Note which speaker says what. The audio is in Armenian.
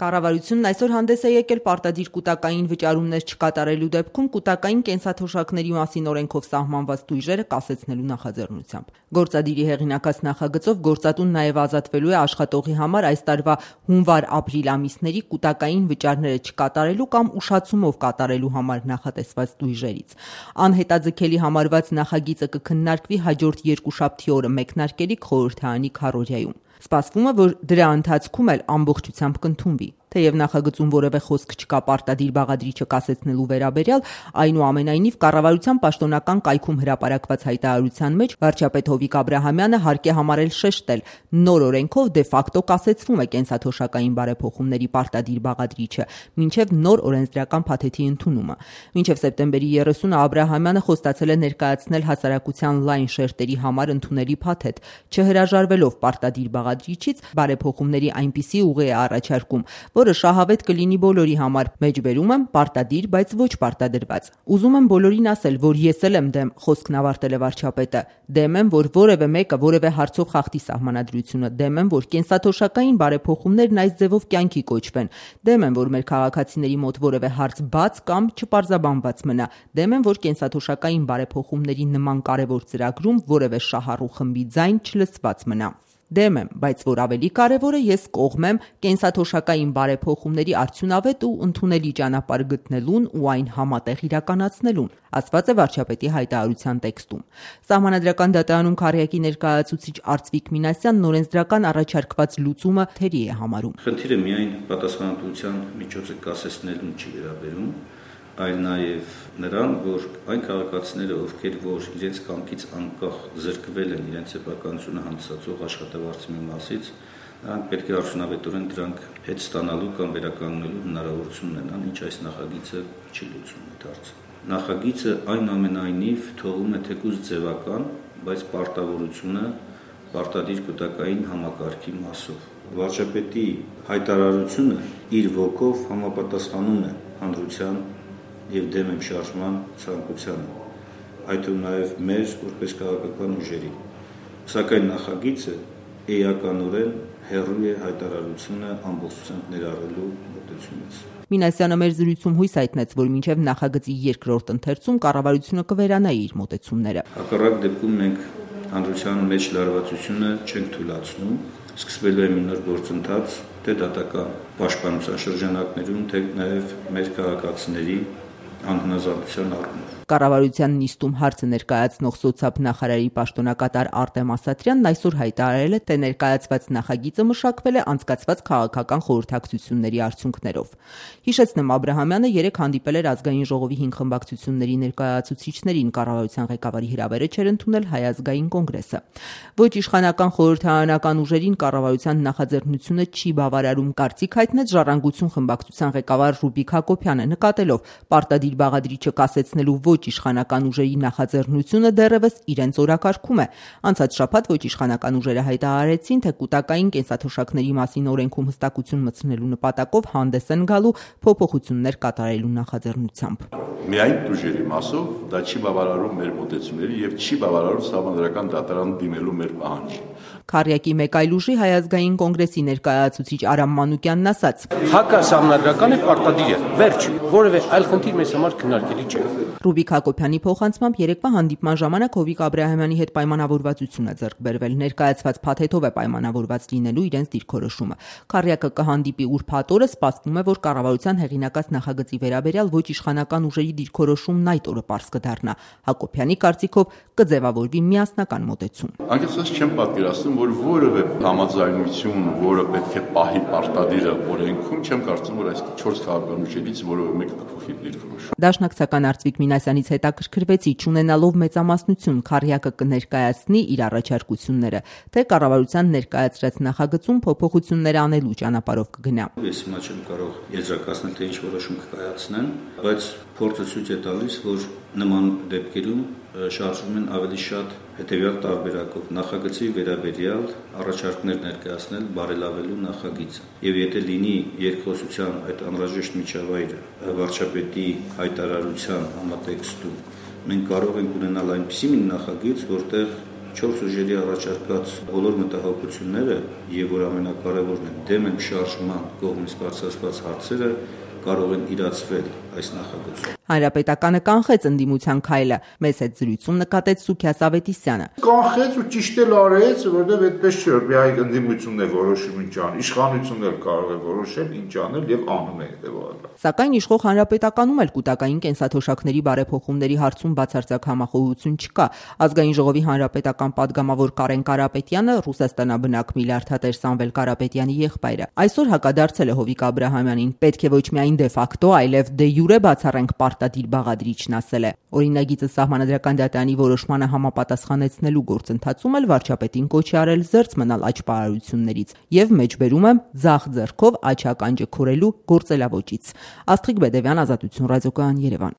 Speaker 1: Կառավարությունն այսօր հանդես է եկել պարտադիր կուտակային վճարումներ չկատարելու դեպքում կուտակային կենսաթոշակների մասին օրենքով սահմանված տույժերը կասեցնելու նախաձեռնությամբ։ Գործադիրի հեղինակած նախագծով գործատուն նաև ազատվելու է աշխատողի համար այս տարվա հունվար-ապրիլ ամիսների կուտակային վճարները չկատարելու կամ ուշացումով կատարելու համար նախատեսված տույժերից։ Անհետաձգելի համարված նախագիծը կքննարկվի հաջորդ երկուշաբթի օրը մեկնարկելիք խորհրդարանի քարոզիայում։ Սպասվում է, որ դրա ընթացքում էլ ամբողջությամբ կընդունվի։ Թեև նախագծում որևէ խոսք չկա պարտադիր բաղադրիչը կասեցնելու վերաբերյալ, այնուամենայնիվ կառավարության պաշտոնական կայքում հրապարակված հայտարարության մեջ վարչապետ Հովիկ Աբրահամյանը հարկ է համարել շեշտել, նոր օրենքով դե ֆակտո կասեցվում է կենսաթոշակային բարեփոխումների պարտադիր բաղադրիչը, մինչև նոր օրենսդրական փաթեթի ընդունումը։ Մինչև սեպտեմբերի 30-ը Աբրահամյանը խոստացել է ներկայացնել հասարակության լայն շերտերի համար ընդունելի փաթեթ, չհրաժարվելով պարտադիր բաղադրիչից բարեփոխումների այնպիսի ուղի է առաջարկում, որը շահավետ կլինի բոլորի համար, մեջբերում եմ պարտադիր, բայց ոչ պարտադրված։ Ուզում եմ բոլորին ասել, որ ես էլ եմ դեմ, խոսքն ավարտել է վարչապետը, դեմ եմ, որ որևէ մեկը որևէ հարցով խախտի սահմանադրությունը, դեմ եմ, որ կենսաթոշակային բարեփոխումներն այս ձևով կյանքի կոչվեն, դեմ եմ, որ մեր քաղաքացիների մոտ որևէ հարց բաց կամ չպարզաբանված մնա, դեմ եմ, որ կենսաթոշակային բարեփոխումների նման կարևոր ծրագրում որևէ շահառու խմբի ձայն չլսված մնա։ Դեմ եմ, բայց որ ավելի կարևորը, ես կողմ եմ կենսաթոշակային բարեփոխումների արդյունավետ ու ընդունելի ճանապարհ գտնելուն ու այն համատեղ իրականացնելուն, ասված է վարչապետի հայտարարության տեքստում։ Սահմանադրական դատարանում քառյակի ներկայացուցիչ Արծվիկ Մինասյանն օրենսդրական առաջարկված լուծումը թերի է համարում։
Speaker 2: Խնդիրը միայն պատասխանատվության միջոցը կասեցնելուն չի վերաբերում, այլ նաև նրան, որ այն քաղաքացիները, ովքեր որ իրենց կամքից անկախ զրկվել են իրենց սեփականությունը հանդիսացող աշխատավարձի մի մասից, նրանք պետք է արդյունավետորեն դրանք հետ ստանալու կամ վերականգնելու հնարավորություն ունենան, ինչ այս նախագիծը չի լուծում այդ հարցը։ Նախագիծը այնուամենայնիվ թողում է թեկուզ ձևական, բայց պարտավորությունը պարտադիր կուտակային համակարգի մասով։ Վարչապետի հայտարարությունը իր ոգով համապատասխանում է հանրության եւ դեմ եմ շարժման ցանկությանը, այդ ու նաև մեր որպես քաղաքական ուժերի։ Սակայն նախագիծը էականորեն հեռու է հայտարարությունը ամբողջությամբ ներառելու մոտեցումից։
Speaker 1: Մինասյանը մեր զրույցում հույս հայտնեց, որ մինչև նախագծի երկրորդ ընթերցում կառավարությունը կվերանա իր մոտեցումները։
Speaker 2: Հակառակ դեպքում մենք հանրության մեջ լարվածությունը չենք թույլատրում, սկսվելու է մի նոր գործընթաց թե դատական պաշտպանության շրջանակներում, թե նաև մեր քաղաքացիների անհնազանդության առումով։
Speaker 1: Կառավարության նիստում հարցը ներկայացնող սոցիալ նախարարի պաշտոնակատար Արտեմ Ասատրյանն այսօր հայտարարել է, թե ներկայացված նախագիծը մշակվել է անցկացված քաղաքական խորհրդակցությունների արդյունքներով։ Հիշեցնեմ, Աբրահամյանը երեկ հանդիպել էր ազգային ժողովի 5 խմբակցությունների ներկայացուցիչներին, կառավարության ղեկավարի հրավերը չէր ընդունել Հայ ազգային կոնգրեսը։ Ոչ իշխանական խորհրդարանական ուժերին կառավարության նախաձեռնությունը չի բավարարում, կարծիք հայտնեց Ժառանգություն խմբակցության ղեկավար Ռուբիկ Հակոբյանը, նկատելով պարտադիր բաղադրիչը կասեցնելու ոչ իշխանական ուժերի նախաձեռնությունը դեռևս իրենց օրակարգում է։ Անցած շաբաթ ոչ իշխանական ուժերը հայտարարեցին, թե կուտակային կենսաթոշակների մասին օրենքում հստակություն մտցնելու նպատակով հանդես են գալու փոփոխություններ կատարելու նախաձեռնությամբ։
Speaker 3: Միայն ուժերի մասով դա չի բավարարում մեր մոտեցումների եւ չի բավարարում սահմանադրական դատարան դիմելու մեր պահանջը։
Speaker 1: Քառյակի մեկ այլ ուժի Հայ ազգային կոնգրեսի ներկայացուցիչ Արամ Մանուկյանն ասաց.
Speaker 4: Հակասահմանադրական է, պարտադիր է, վերջ, որևէ այլ խնդիր մեզ համար քննարկելի չէ։
Speaker 1: Ռուբիկ Հակոբյանի փոխանցմամբ երեկվա հանդիպման ժամանակ Հովիկ Աբրահամյանի հետ պայմանավորվածություն է ձեռք բերվել, ներկայացված փաթեթով է պայմանավորված լինելու իրենց դիրքորոշումը։ Քառյակը կհանդիպի ուրբաթ օրը, սպասվում է, որ կառավարության հեղինակած նախագծի վերաբերյալ ոչ իշխանական ուժերի դիրքորոշումն այդ օրը պարզ կդառնա։ Հակոբյանի կարծիքով կձևավորվի միասնական մոտեցում։
Speaker 3: Անկեղծ չեմ պատկերացնում, որ որևէ համաձայնություն, որը պետք է պահի պարտադիրը օրենքում, չեմ կարծում, որ այս 4 քաղաքական ուժերից որևէ մեկը կփոխի դիրքորոշում։
Speaker 1: Դաշնակցական Արծվիկ Մինասյանից հետաքրքրվեցի, չունենալով մեծամասնություն, Քառյակը կներկայացնի իր առաջարկությունները, թե կառավարության ներկայացրած նախագծում փոփոխություններ անելու ճանապարհով կգնա։
Speaker 2: Ես հիմա չեմ կարող եզրակացնել, թե ինչ որոշում կկայացնեն, բայց փորձը ցույց է տալիս, որ նման դեպքերում շարժվում են ավելի շատ հետևյալ տարբերակով նախագծի վերաբերյալ առաջարկներ ներկայացնել բարելավելու նախագիծը։ Եվ եթե լինի երկխոսության այդ անհրաժեշտ միջավայրը վարչապետի հայտարարության համատեքստում, մենք կարող ենք ունենալ այնպիսի մի նախագիծ, որտեղ 4 ուժերի առաջարկած բոլոր մտահոգությունները եւ որ ամենակարևորն է դեմ են շարժման կողմից բարձրացված հարցերը կարող են իրացվել այս նախագծում։
Speaker 1: Հանրապետականը կանխեց ընդդիմության քայլը։ Մեծ հետ զրույցում նկատեց Սուքիաս Ավետիսյանը։
Speaker 5: Կանխեց ու ճիշտ էլ արեց, որովհետև այդպես չէ, որ միայն ընդդիմությունն է որոշում ինչ անի, իշխանությունն էլ կարող է որոշել ինչ անել եւ անում է հետեւաբար։
Speaker 1: Սակայն իշխող Հանրապետականում էլ կൂട്ടակային կենսաթոշակների բարեփոխումների հարցում բացարձակ համախոհություն չկա։ Ազգային ժողովի հանրապետական падգամավոր Կարեն Կարապետյանը Ռուսաստանաբնակ միլիարդատեր Սամվել Կարապետյանի եղբայրը այսօր հակադարձել է Հովիկ Աբրահամյանին։ Պետք է ոչ միայն դե ֆակտո, այլև դե յուրե բացառենք պարտադիր բաղադրիչն ասել է։ Օրինագիծը Սահմանադրական դատարանի որոշմանը համապատասխանեցնելու գործընթացում էլ վարչապետին կոչ է արել զերծ մնալ աճպարարություններից եւ մեջբերում եմ ձախ ձեռքով աչականջը քորելու գործելավոճից։ Աստղիկ Բեդևյան, Ազատություն ռադիոկայան, Երևան։